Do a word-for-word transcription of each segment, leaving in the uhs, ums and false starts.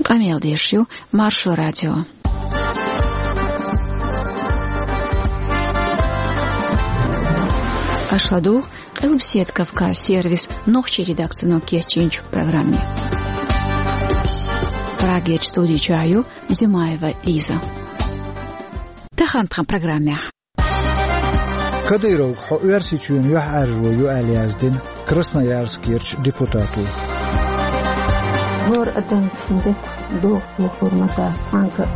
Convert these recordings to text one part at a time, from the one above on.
Къамел деш ю Маршо радио. Аша ладугӀу Къилбаседа Кавказ сервисан нохчийн редакцино кечйинчу программе. Прагерчу студи чохь ю Зимаева Лиза. Тахана тхан программехь. Кадыровга хьо Оьрсийчоьнан юьхьӀаьржо ю аьлла яздина Красноярскерчу депутато. ХӀора адамна де догӀу сохур ма дац цхьаьнгга.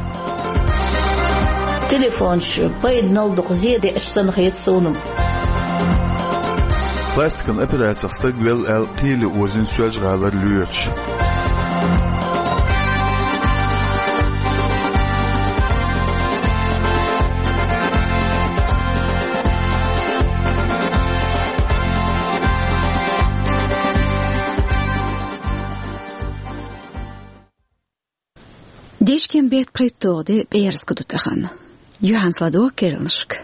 Телефонаш пайданал дукха зен деъаш санна хета суна. Пластикан операцех стаг велла аьлла, кхеле озийна Соьлжа-ГӀалара лоьраш. Дешкеман беттан пхийтталгӀа де, пӀераска ду тахана. Юьхьанца ладогӀа керланашка.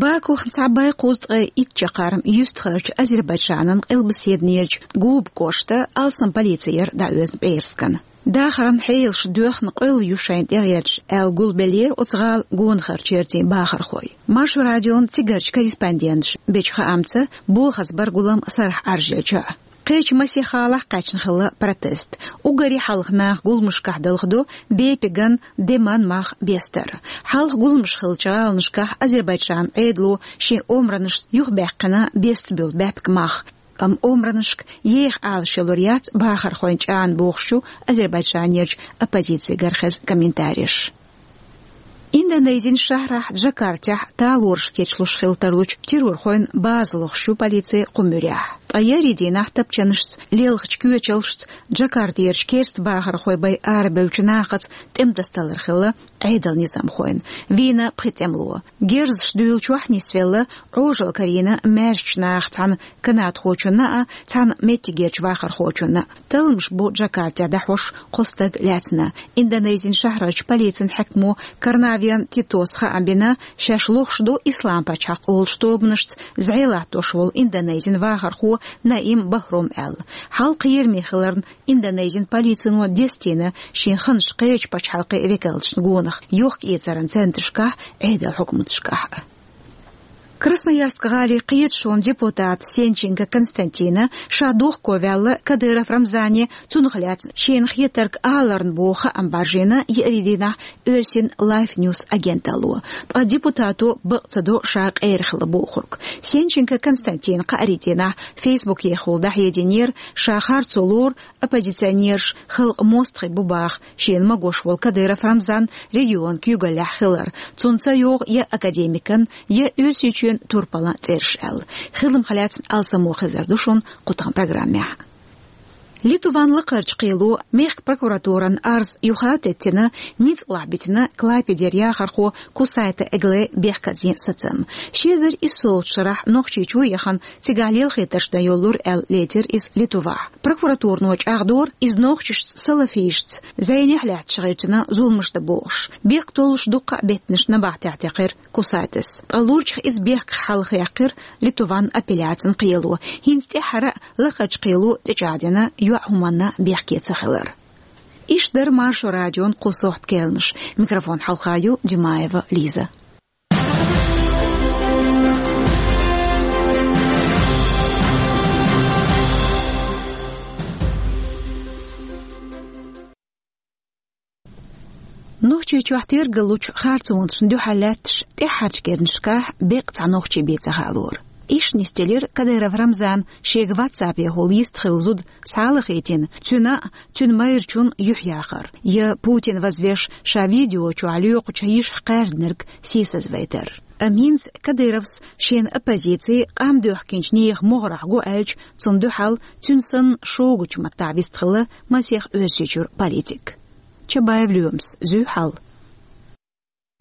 Бакух цхьа бӀе кхузткъе итт чаккхарма юьстахарчу Азербайджанан къилбаседанерчу Губа кӀоштан алсам полици яра дӀаоьзна пӀераскана. Дахаран хьелаш доьхна къоьлла ю шайна тӀегӀерташ аьлла гулбеллера оцу гӀала гонахарчу яртийн бахархой. Маршо радион цигарчу корреспонденташа бечу хаамца, бохаза баргулам сарахь Ӏаржъелча. Кхечу масех гӀалахь кхаьчна хилла протест. Уггаре хьалха наха гуламашкахь далхадо бепиган, деман мах бестар. Хьалха гуламаш хиллачу гӀаланашкахь Азербайджанан Ӏедало шен омранашца юхабаьккхина бестабуьллу баьпкан мах. Амма омранашка еха Ӏалашъялур яц бахархойн чӀагӀна, бохуш ю Азербайджанерчу оппозицигара хезна комментареш. Индонезин шахьрахь Джакартехь талораш кечлуш хила тарлучу террорхойн база лохуш ю полици кху муьрехь. Ткъа еарин дийнахь тапчанашца, лелхачу коьчалшца Джакартерчу керста бахархой бай арабевллачу нахаца тӀематасадалар хилла Ӏедалан низамхойн. Вийна пхи тӀемало. Герзаш дуьйлучохь нисвелла, Ӏожалла карийна маьршачу нахаца цхьана канадхочунна а, цхьана меттигерчу вахархочунна а. Талламаш бу Джакартехь дӀахьош кхо стаг лаьцна. Индонезин шахьрарчу полицин хьаькамо Карнавиан Титоса хаам бина, шаьш лохуш ду Ислам пачхьалкх олучу тобанашца зӀе латтош волу Индонезин вахархо Наим Бахрум аьлла. Хьалха кхераме хиларна, Индонезин полицино дестийна шен ханаш кхечу пачхьалкхийн векалташна гонах, йохк-эцаран центрашкахь, Ӏедалан хьукматашкахь а. Красноярск гӀалин кхеташонан депутата Сенченко Константина ша дохко ваьлла Кадыров Рамзане, цунах лаьцна шена хетарг аларна боху хаам бӀаржийна еарин дийнахь оьрсийн Life News агенталло. Ткъа депутато бакъ ца до ша къера хилла бохург. Сенченко Константина кхаарин дийнахь Фейсбукехула дӀахьединера, ша харцо лору, оппозиционераш халкъан мостагӀий бу баха шена магош волу Кадыров Рамзан регионан куьйгаллехь хилар, цунна ца йогӀу я академикан, я Оьрсийчоьнан турпалан цӀераш аьлла. Хиламах лаьцна алсамо хезар ду шуна кху тхан программехь. Литван лакхарчу кхело мехкан прокуратуран арз юха а теттина, ницкъ лахь битина Клайпедера яхархо Кусайта Эгле бехказйина сацам. Ши эзар иссолгӀачу шарахь Нохчийчу яхана, цигахь лелхийтарш дан йоллура аьлла лецира иза Литвахь. Прокуратурано чӀагӀдора, иза нохчашца, салафисташца зӀенехь лаьтташ гӀиртина зуламаш дан бохуш. Бехктоллуш дуккха а беттанаш набахтехь текхира Кусайтас. Ткъа лурчех иза бехках хьалхаяьккхира Литван апелляцин кхело. ХӀинца тӀаьххьара а лакхарчу кхело тӀечӀагӀдина йоӀ хӀуманна бехке ца хилар. Иштта дара Маршо радион кху сохьта керланаш. Микрофон хьалха ю Димаева Лиза. Нохчийчохь тергаллучу харцонашна дуьхьал лаьтташ тӀаьххьарчу керланашкахь беккъа цхьа нохчи бен ца хаалора. Иштта нисделира Кадыров Рамзан шега WhatsApp-ехула йист хилла зуда схьалахийтина, цуьнан а, цуьнан майрачун а юьхь яхар, я Путин вазвеш ша видео чохь лоькхучу йишах кхаьрдинарг сийсазвайтар. Амма хӀинца Кадыровс шена оппозици къам доьхкинчу нехан могӀарехь го аьлча, цунна дуьхьал цуьнан санна шогачу маттахь вистхилла масех Оьрсийчуьра политик. Чабаев Лоьмас, зуьй хьал.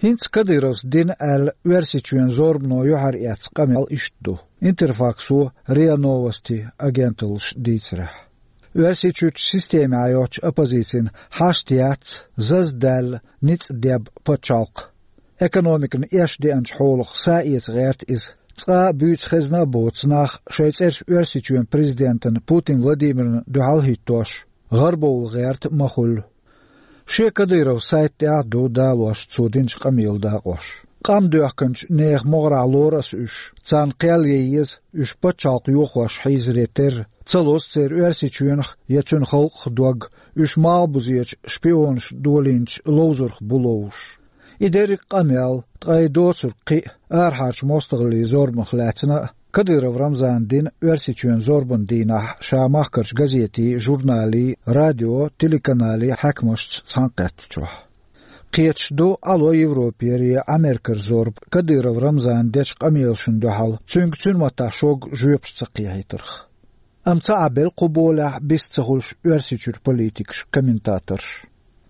ХӀинца Кадыровс дина аьлла Оьрсийчоьнан зорбано юьхьар эцна къамел иштта ду. Интерфаксо РИА Новости агенталлаша дийцарехь. Оьрсийчуьрчу системехь йоцчу оппозицина хьашт яц заза даьлла ницкъ деб пачхьалкх. Экономикана эшна деанчу хьолах са эца гӀерта иза. Цкъа а буьйцу хезна а боцу нах шайн цӀераш Оьрсийчоьнан президентана Путин Владимирна дуьхьал хӀиттош, гӀарабовла гӀерта ма хуьлу. Шен Кадыровн сайта тӀехь а ду далош цо динчу къамелан дакъош. Къам доьхкинчу нехан могӀарехь лору ас уьш, царна кхел ян еза, уьш пачхьалкх йохош хьийзаре терра. Ца лозу церан Оьрсийчоьнах я цуьнан халкъах дог, уьш малхбузерчу шпионаша долийначу ловзарх бу ловзуш. И дерриг а къамел, ткъа и доцург кхин а арахьарчу мостагӀаллин зорбанах лаьцна а, Кадыров Рамзана дина Оьрсийчоьнан зорбанан дийнахь ша махкарчу газетийн, журналийн, радион, телеканалийн хьаькамашца цхьаьнакхеттачохь. Кхеташ ду Ӏало Европера я Америкера зорба Кадыров Рамзана дечу къамелашна дуьхьал, цуьнга цуьнан маттахь шога жоьпаш ца кхехьийтарх. Амма ца Ӏабелла кху болехь бист ца хуьлуш Оьрсийчуьра политикаш, комментаторш.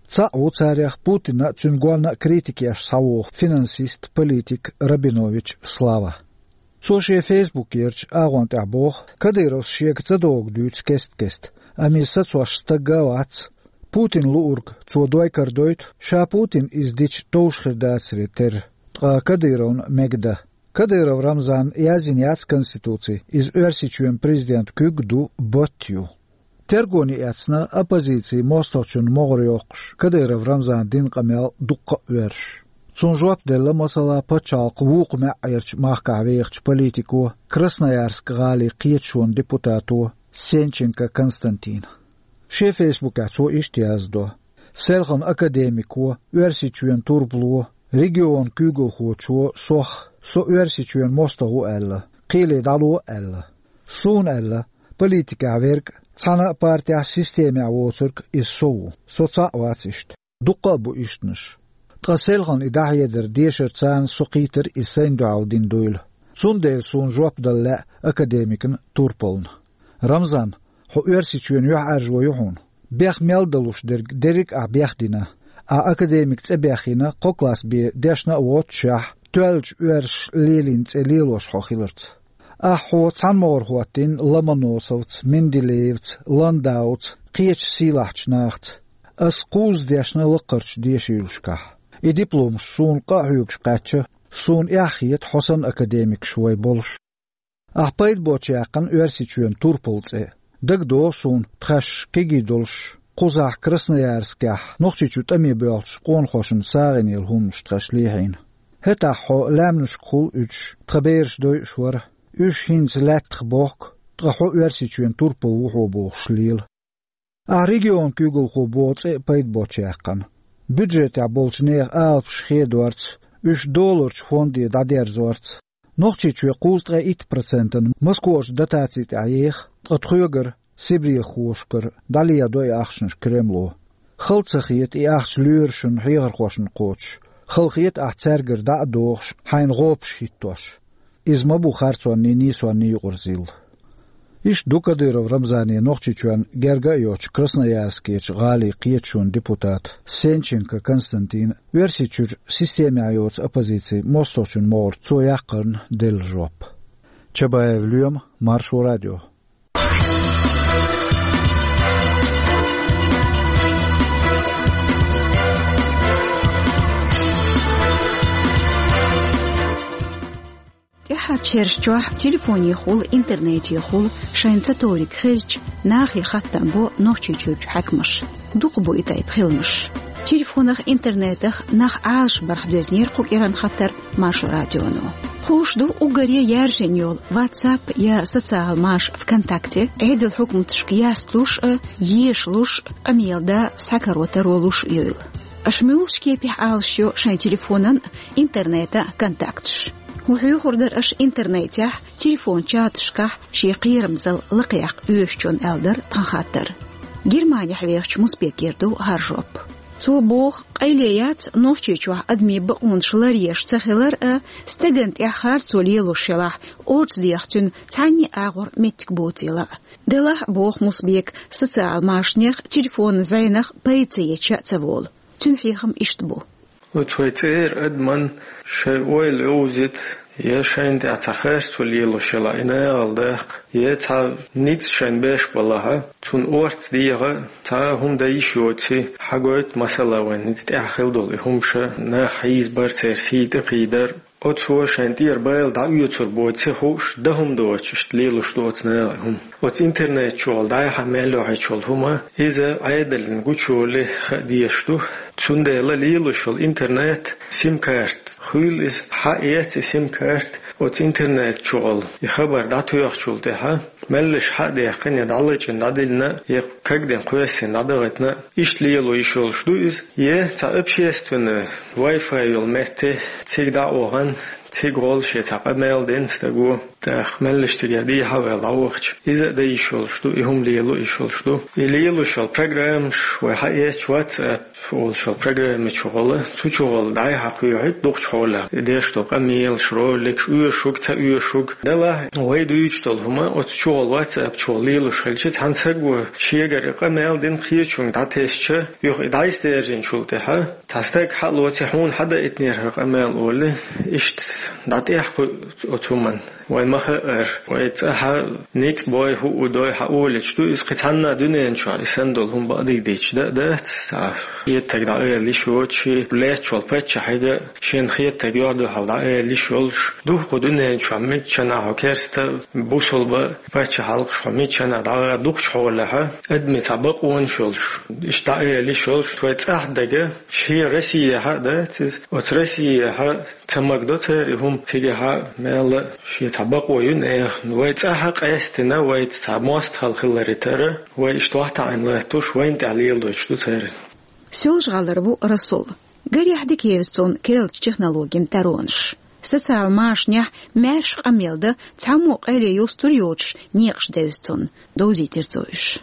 Цхьаъ ву царех Путинна а, цуьнан гонна а критика еш схьавогӀу финансист, политик Рабинович Слава. Цо шен фейсбукерчу агӀон тӀехь боху, Кадыровс шега ца догӀу дуьйцу кест-кеста, амма иза сацош стаг а вац. Путинна луург цо дой карадойту, ша Путинна иза дича товш хир дацаре терра, ткъа Кадыровна мега дан. Кадыров Рамзана яздина яц конституци, иза Оьрсийчоьнан президентан куьг а ду, батт а ю. Тергоне эцна оппозицин мостагӀчунна могӀар йоккхуш Кадыров Рамзана дина къамел дуккха а оьрсуш. Цунна жоп делла, масала, пачхьалкхан вукху маьӀӀерчу махкахь вехачу политико, Красноярск гӀалин кхеташонан депутато Сенченко Константина. Шен фейсбукехь цо иштта яздо: «Селхана академико, Оьрсийчоьнан турпало, регионан куьйгалхочо сох, со Оьрсийчоьнан мостагӀа ву аьлла, кхеле дӀало аьлла. Суна аьлла, политикехь верг а, цхьана а партехь, системехь воцург иза со ву. Со цхьаъ вац иштта. Дуккха а бу ишттанаш. Ткъа селхана и дӀахьедар дешарца со кхийтар иза сайна дуьхьал дина дуйла. Цундела суна жоп дала лаьа академикна турпална. Рамзан, хьо Оьрсийчоьнан юьхьӀаьржо ю хьуна. Бех мел далуш дерг дерриг а ахь бехдина. Ахь академик цӀе баьхкина, кхо класс бен дешна а воццушехь, тоьллачу оьрсаша лелийна цӀе лелош хьо хиларца. Ахь хьо цхьана могӀара хӀоттийна Ломоносовца, Менделеевца, Ландаувца, кхечу сийлахьчу нахаца. Ас кхузза дешна лакхарчу дешаюьйлашкахь. И дипломаш суна къа а хьоьгуш кхаьчна, суна эхь хета хьо санна академикаш вай болуш. Ахь пайда боцуш яьккхина Оьрсийчоьнан турпалан цӀе. ДагадогӀу суна, тхаьш кегий долуш, кхузахь Красноярскехь Нохчийчу тӀаме боьлхучу къонахошна сагӀина йолу хӀуманаш тхаьш лехьийна. ХӀетахь хьо лаьмнашкахула уьдуш, тхан бераш дойуш вара. Уьш хӀинца лаьттах бохку, ткъа хьо Оьрсийчоьнан турпал ву хьо бохуш лела. Ахь регионан куьйгалхо боху цӀе а пайда боцуш яьккхина. Бюджетехь болчу нехан алапаш хедорца, уьш долларчу фонде дӀадерзорца. Нохчийчоь кхузткъе итт процентана Москварчу дотаци тӀехь еха, ткъа тхоьгара, сибрехошкара, дӀалеладо и ахчанаш Кремло. Хала ца хета и ахча лоьрашна, хьехархошна кхочуш. Хала хета ахь цаьргара дӀа а дохуш, хьайна гӀопаш хӀиттош. Иза ма бу харцонний, нийсонний юкъара зил. Иштта ду Кадыров Рамзане Нохчийчоьнна герга а йоцучу Красноярскерчу гӀалин кхеташонан депутата Сенченко Константина Оьрсийчуьра системехь йоцу оппозицин мостагӀчунна могӀарна цо яккхарна делла жоп. Чабаев Лоьма, Маршо радио. ТӀаьххьарчу шераш чохь телефонехула, интернетехула шайна ца товриг хезча, нахе хаттам бо Нохчийчуьрчу хьаькамаша. Дукха бу и тайпа хиламаш. Телефонах, интернетах нах Ӏалашбарх доьзнера кху кӀиранан хаттар Маршо радионо. Хууш ду, уггаре яьржина йолу WhatsApp я социал маша ВКонтакте Ӏедал хьукматашка ясталуш а, ешалуш а, къамел дан схьакаро-таро луш а йойла. Аша муьлхачу кепехь Ӏалашйо шайн телефонан а, интернетан а контакташ? ХӀун хьоьхур дара аша интернетехь, телефон чаташкахь шен кхерамзалла лакхаяккха оьшучунна, аьлла дара тхан хаттар. Германехь вехачу Мусбекера ду хӀара жоп. Цо боху, къайле яц Нохчийчохь адамийн бакъонаш ларъеш ца хилар а, стагана тӀехь харцо лелош елахь, орца деха цуьнан цхьанний агӀор меттиг боцийла а. Делахь а, боху Мусбека, социал машанех, телефонан зӀенах пайда ца еча а ца волу. Цуьнан хьехам иштта бу. Оцу вай цӀера адаман шайн ойла йовзийта, Е шайна тӀехь цхьа харцо лелош йолахь, и нагӀал даккха, е цхьа ницкъ шайна беш балахь, цунна орца дегӀа цхьа а хӀума дан йиш йоций, хьагойту масала вайн ницкъ тӀехь хила долу и хӀума ша, нах хьийзабар, церан сий тӀе кхийдар. Оцо шайн тӀера байла дӀаоьцур боций хууш, дан хӀума доцуш, иштта лелош ду оцу нагӀа хӀума. Оцу интернет чухула дӀай-хьа мел йохьучул хӀума, иза Ӏедална гучуйолу хаа дезаш ду. Цундела лелош йолу интернет, сим-карта, хуьлу иза, хьаэца и сим-карта, оцу интернет чухула и хабар дӀатоьхначул тӀаьхьа, меллаша хьа а даьккхина, я дӀалачкъина дӀадиллина, я кагдина кхоьссина дӀадахийтина, иштта лело йиш йолуш ду иза, я цхьа общественный Wi-Fi йолу метте цига дӀа а вахана, цига гӀолла шен цхьа къамел дина стаго, тӀаккха меллаша цигара дехьа а ваьлла дӀавахча, иза а дан йиш йолуш ду, и хӀума лело йиш йолуш ду. И лелош йолу программаш вай хьаэцча, WhatsApp олуш йолу программа чухула, цу чухула дӀай-хьа кхоьхьуьйту дукхачу хьолехь и деш долу къамелаш, роликаш, оьшург, ца оьшург. Делахь, вай дуьйцуш долу хӀума оцу чухула, WhatsApp чухула лелош хилча, цхьана саго шегара и къамел дина кхечунга дӀатесча, юха и дӀайсадаьржинчул тӀаьхьа, цхьа стаг хьа а лоций, хьуна хьадаийтинера хӀара къамел олий, иштта дӀатӀехь кхуьу оцу хӀуманна. Вай ма хаьара, вай цӀахь ницкъ бой, хӀуъу дой хьаолуьйтуш ду иза, кхин цхьанна а дуьнен чохь и санна долу хӀума бакъдерг дийцича дан а дац, цхьа хетарг дӀаала йиш йоцуш, лаьтташ волу паччахье а шена хетарг юьхь-дуьхьал дӀаала йиш йолуш. Духхьал дуьнен чохь миччанхьа хьо керста, бусалба, паччахьалкхаш хьо миччанхьа дӀагӀа дукхачу хьолехь, адамийн цхьа бакъонаш йолуш, иштта дӀаала йиш йолуш, вай цӀахь дага, шен Россияхь а дац иза, оцу Россияхь а ца магадо церан и хӀума, цигахь а мелла а шен цхьа бакъо ю нехан. Вай цӀахь а къаьстина, вайца цхьа мостагӀалла хиларе тара, вай иштта вахтаӀийна латтош, вайна тӀехь леладойтуш ду церан. Соьлжа-ГӀалара ву Расул. Гарехь дика евза цунна керлачу технологийн тӀаьронаш. Социал машанехь маьрша къамел дан цхьаммо къайле юстур йоцуш некъаш девза цунна, довзийтира цо уьш.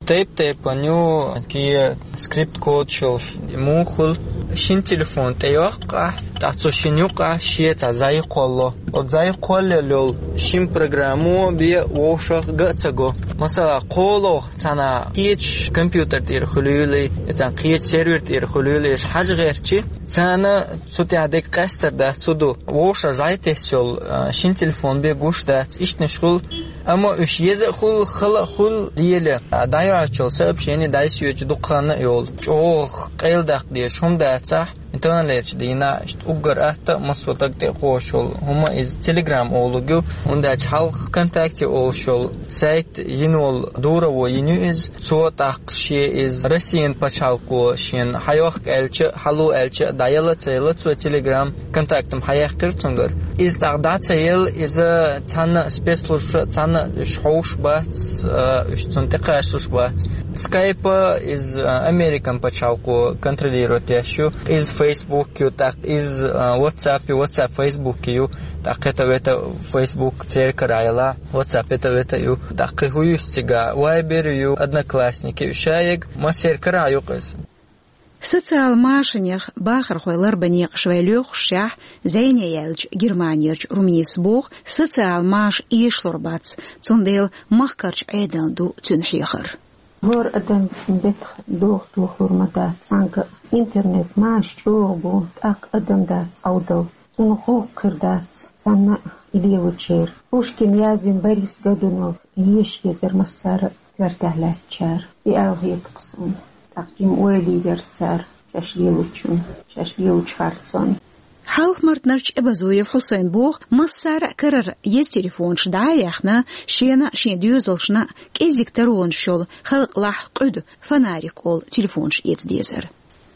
Тайп-тайпана ю, кхин скрипт-кодаш йолуш муха хуьлу. Шина телефон тӀейоккху ахь, тӀаккха цу шина юккъехь шен цхьа зӀай кхолло. Оцу зӀай кхоллаелла йолу шина программо бен вовшах ган а ца го. Масала, кхоло цхьана кхечу компьютер тӀера хуьлийла, я цхьана кхечу сервер тӀера хуьлийла, иш хьажа гӀертачи, царна цу тӀехь дерг къаьстар дац, цу ду. Вовшах зӀай тесна йолу, а, шина телефон бен гуш дац, иштанаш хуьлу. Амма уьш еза а хуьлу, хала а хуьлу, лело, а, дӀайоьллучу сообщени дӀасайоьду дукха хан а йолу. ЧӀогӀа къайладаккха дезаш хӀума дацахь, таханлерчу дийнахь иштта уггар атта а массо а таг тӀе а кхочуш йолу хӀума иза Telegram олург ю, хӀунда аьлча хьалха ВКонтакте олуш йолу сайт йина волу дураво йина ю иза. Цо тӀаккха шен иза Россин пачхьалкхо шена хьайохка аьлча а, хьало аьлча а, дӀаяла а ца яла, цо Telegram ВКонтактам хьаяьккхира цуьнгара. Иза тӀаккха дӀа ца елла, иза цхьанна а спецслужбаша, цхьанна а уьш хьовш бац, а, уьш цунна тӀекхачалуш бац. Скайпа иза, а, Американ пачхьалкхо контролировать деш ю. Иза Facebook ю, тӀаккха иза, а, WhatsApp ю, WhatsApp Facebook ю, тӀаккха это, это Facebook церан карахь яла, WhatsApp это, это ю. ТӀаккха кхин хӀун ю цигахь, Viber ю, Одноклассники ю, шайиг массеран карахь ю-кх иза. Социал машанех бахархой ларбан некъаш вай лоьхушшехь, зӀене яьллачу Германерчу Руминас боху, социал маша эшалур бац, цундела махкарчу Ӏедална ду цуьнан хьехар. ХӀора адам бетах доху тухур ма дац, цхьаьнгга интернет маша чӀогӀа бу, тӀаккха адам дац Ӏовдал. Цунах гӀуллакх хир дац, санна а и лелочеран. Пушкина яздина Борис Годунов еша езара массара а коьртехь лаьттачара. И аьлла хета-кх суна. ТӀаккха жима ойла йира цара шаьш лелочунна, шаьш лелочу харцонна. Хьалха-Мартанарчу Эбазуев Хьусайна боху, массара а карара еза телефонаш дӀа а яьхна, шена а, шен доьзалшна а кӀеззиг таронаш йолу халкъалахь къуьду, фонарик олу телефонаш эца дезара.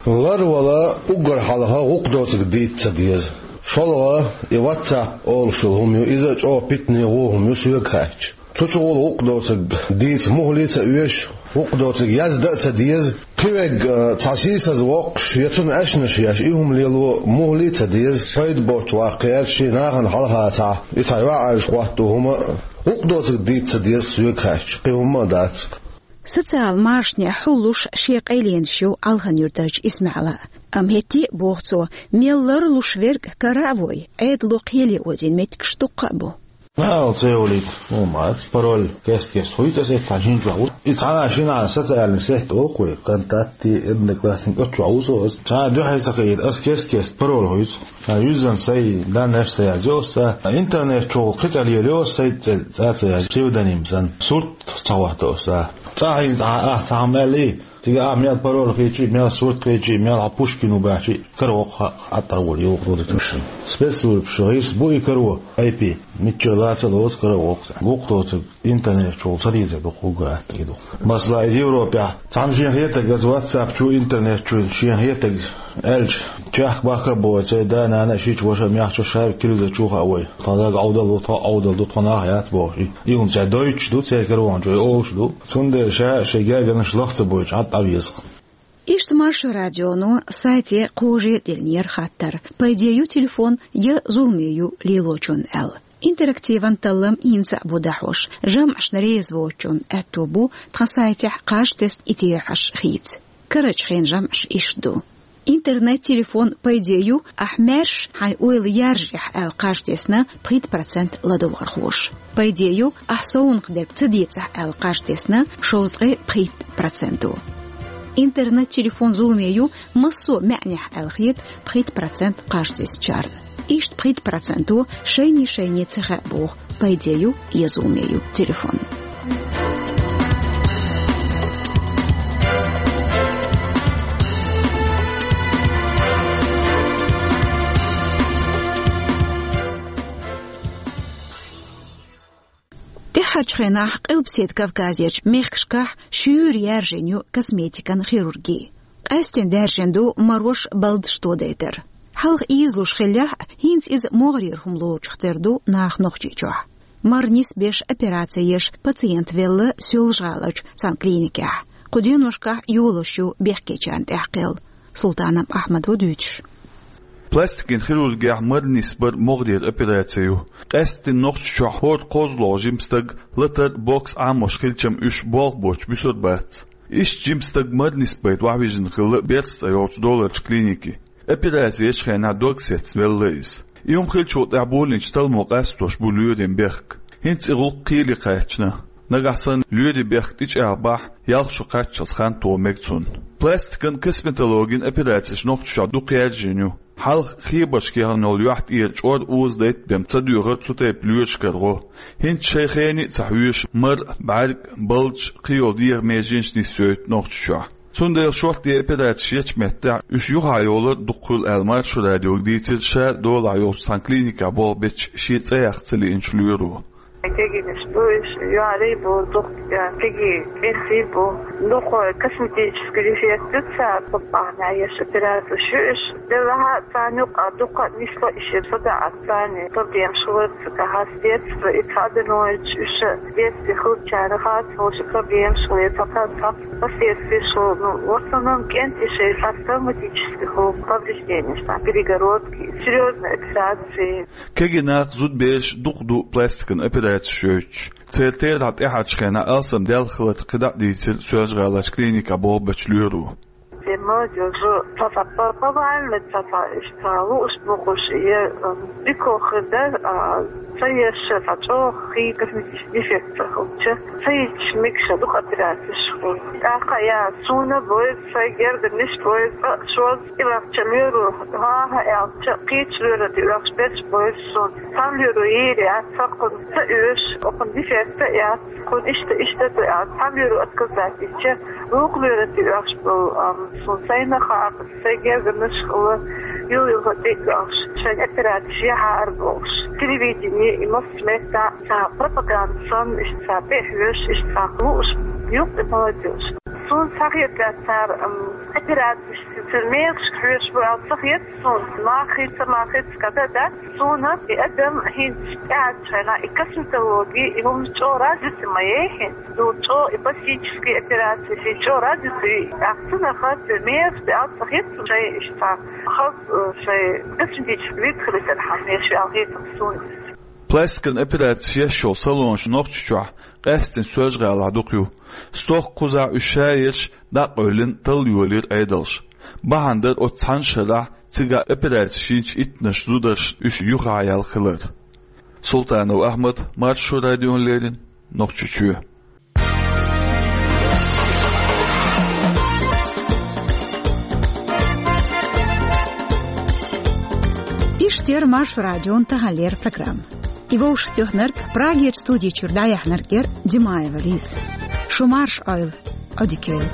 Ларвала уггар хьалха гӀуллакх доцург дийца ца деза. ШолгӀа, и WhatsApp олуш йолу хӀума ю, иза а чӀогӀа питане ву хӀума ю соьга хаьттича. Цу чухула гӀуллакх доцург дийца мухӀале а ца оьшу, гӀуллакх доцург яздан а ца деза. Кхин верг, а, цхьа сийсаз воккхуш, я цунна аьшнаш еш, и хӀума лело мухӀале а ца деза. Пайда боцуш ваккха гӀерташ, нахана хьалха цхьа, и цхьа йоӀ аьлча хӀотто хӀума а. ГӀуллакх доцург дийца ца деза соьга хаьттича, кхин хӀумма а дац-кх. Социал машанехь хьуллуш шен къайленаш ю Алхан-Юьртарчу Исмаьла. Амма хӀетте а, боху цо, мел ларлуш верг кара а вой, Ӏедало кхеле озийна меттигаш дуккха а бу. Мел ца йолийта, ну, мац, пароль кест-кест хуьйцу аса, цхьа жин чохь ву. И цхьана шина социальный сеть олу-кх вай, ВКонтакте, Одноклассники, оцу чохь ву со аса. Цхьана дуьхьал ца кхиийта, аса кест-кест пароль хуьйцу. Цхьана юьззина сайн данныеш ца язйо аса. Интернет чухула кхин цӀе лелайо аса, сайн цӀе цӀа ца язйо, псевдоним санна. Сурт ца хӀотто аса. Цкъа хьийна цхьа, ахь цхьа хӀума аьллий, цига ахь мел пароль кхийчий, мел сурт кхийчий, мел хьан Пушкин ву баьхчий, каро хьа-, хьатӀара волу юкъа дуьйцуш. Спецслужбаша гӀирс бу и каро, айпи, мичча лаца а лоцу каро воккху. Гукъ доцург интернет чухула ца дийцар ду, хӀума гатта и ду. Масала, иза Европехь, цхьамма шен хетаг аса WhatsApp чу, интернет чу шен хетаг аьлча, чехка бахка а боху, церан да-нана а, шича ваша а, мехча а, ша телевизор чу а хаьа вай. Тхан даг Ӏовдал ву, тхо Ӏовдал ду, тхо нах яц бохуш. И, и хӀума цара дойтуш ду, церан каронаш вай олуш ду. Цундела ша шайн гергарнаш лах ца бойтуш, Ӏад Ӏа веза. Иштта Маршо радионо сайте кхоже а деллера хаттар: пайде ю телефон я зуламе ю лелочунна аьлла. Интерактиван таллам хӀинца а бу дӀахьош, жамӀашна реза воцучунна аьтто бу тхан сайтехь кхаж тесна и терахьаш хийца. Карарчу хенан жамӀаш иштта ду. Интернет-телефон пайде ю, ахь маьрша хьайн ойла яржехь аьлла кхаж тесна пхийтта процент ладогӀархоша. Пайде ю, ахь совнах дерг ца децахь аьлла кхаж тесна шовзткъе пхийтта проценто. Интернет-телефон зуламе ю, массо а маьӀнехь аьлла хета пхийтта процент кхаж тесначарна. Иштта пхийтта проценто шайне-шайне ца хаьа боху, пайде ю я зуламе ю телефон. ТӀаьххьарчу хенахь Къилбаседа Кавказерчу мехкашкахь шуьйра яьржина ю косметикан хирурги. Къаьсттина даьржина ду марош, балдаш тодайтар. Хьалха ийзалуш хиллехь а, хӀинца иза могӀарера хӀума лоруш тера ду наха Нохчийчохь. Мара нисбеш, операци еш пациент велла Соьлжа-ГӀаларчу цхьана клиникехь. Кху деношкахь йолош ю бехкечарна тӀехь кхел. Султанов Ахьмад ву дуьйцуш. Пластикан хирургехь мара нисбар могӀарера операци ю. Къаьсттина Нохчийчохь хӀора кхозлагӀа жима стаг латар, бокс Ӏамош хилча-м, уьш болх боцуш буьсур бац. Иштта жима стаг мара нисбайта охьавижина хилла Берс цӀе йолчу доларчу клинике. Операци ечу хенахь дог сецна велла иза. И хӀума хиллачул тӀаьхьа болийначу талламо къастош бу лоьрийн бехк. ХӀинца и гӀуллакх кхеле кхаьчна. Нагахь санна лоьрийн бехк тӀечӀагӀбахь, ялх шо кхаччалц хан тоха мега цунна. Пластикан, косметологин операцеш Нохчийчохь дукха яьржина ю. Хьалха хебаршка яхана йолу юьхь тӀера чӀор, уза дайта бен ца доьхура цу тайпа лоьрашкара гӀо. ХӀинца шайн хене а ца хьоьжуш, мара, бӀаьрг, балдаш, кхин йолу дегӀан меженаш нисйойту Нохчийчохь. Цундела шортта операцеш ечу меттехь уьш юххехь йолор дукха хуьлу аьлла, Маршо радиога дийцира ша долахь йолчу цхьана клиникехь болх бечу, шен цӀе яккха ца лиъначу лоьро. Кегийнаш бу уьш, юьхьарий бу, дукха кегий, кӀентий бу. Дукха косметический дефект ю цара, кху бахьана еш операцеш ю уьш. Делахь а царна юкъа дукха нисло и шен садаӀа царна проблемаш хилар, ца кахьа с детства и цхьа а дан вайчу уьш, детстве хилчара хас волуш проблемаш хилар, ца кхаьчча последствияш хилар, ну, в основном кӀентий шайн сарсоматический хилла повреждениеш, там, перегородки, серьёзные операции. Кегий нах, зудабераш дукха ду пластикан операцеш йойтуш. Церан терахь тӀаьхьарчу хенахь алсам даьлла хилар кхидӀа а дийцира Соьлжа-ГӀаларчу клиникехь болх бечу лоьро. Те молодёжь, цхьа-цхьа по-, повально, цхьа-цхьа иштта лууш бохуш, я, м, дика хир дара, а, ца еш, цхьа чӀогӀа хи косметический дефект ца хилча, ца йитча мегаш дукха операцеш хилла. ТӀаккха я суна бойр, сайн гергарниш бойр, ткъа шозза и вахча лоьро, хӀан-хӀа аьлча, кхечу лоьро тӀе оьхуш берш бойр суна. Цхьана лоьро йийр яц, хӀокхунна ца оьшу, хӀокхунна дефект а яц, хӀокхунна иштта, иштта ду аьлла, цхьана лоьро отказать дича, вукху лоьро тӀе оьхуш болу, ам, суна сайна хаьа, сайн гергарнаш хилла, юл-юха тӀе а оьхуш, шайн операцеш яхьара бохуш. Телевидение и массо а меттехь цхьа пропаганда санна, иштта цхьа тӀе а хьоьжуш, иштта цхьа лууш, юкъа и молодёжь. Суна ца хета цара, ам, операцеш, цара мехашка хьоьжуш бу аьлла ца хета суна, махица, махица када дац. Суна и адам хӀинца тӀаьхьарчу хенахь и косметологи, и хӀуманаш чӀогӀа развитый ма яй хӀинца. Ду чӀогӀа и пластический операцеш, и чӀогӀа развитый ю. ТӀаккха цунах хаза мехаш де алцахь хӀинца шайн иштта хаза, э, шайн косметический вид хилийтархьама мехаш аьлла хета суна. Пластикан операцеш еш йолу салонаш Нохчийчохь, къаьсттина Соьлжа-ГӀалахь дукха ю. Стохка кхузахь уьш шаерш дӀа а къевлина, талла йолийра Ӏедалша. Бахьана дара оцу цхьана шарахь цигахь операцеш йинчу иттаннаш зударшна уьш юххехь яьлла хилар. Султанов Ахьмад, Маршо радиона леррина, Нохчийчоь. Иштта яр Маршо радион таханлера программа. И вовшахтоьхнарг, Прагерчу студи чуьра дӀаяьхьнарг яр Димаева Лиза. Шу марша Ӏойла, Ӏодика йойла.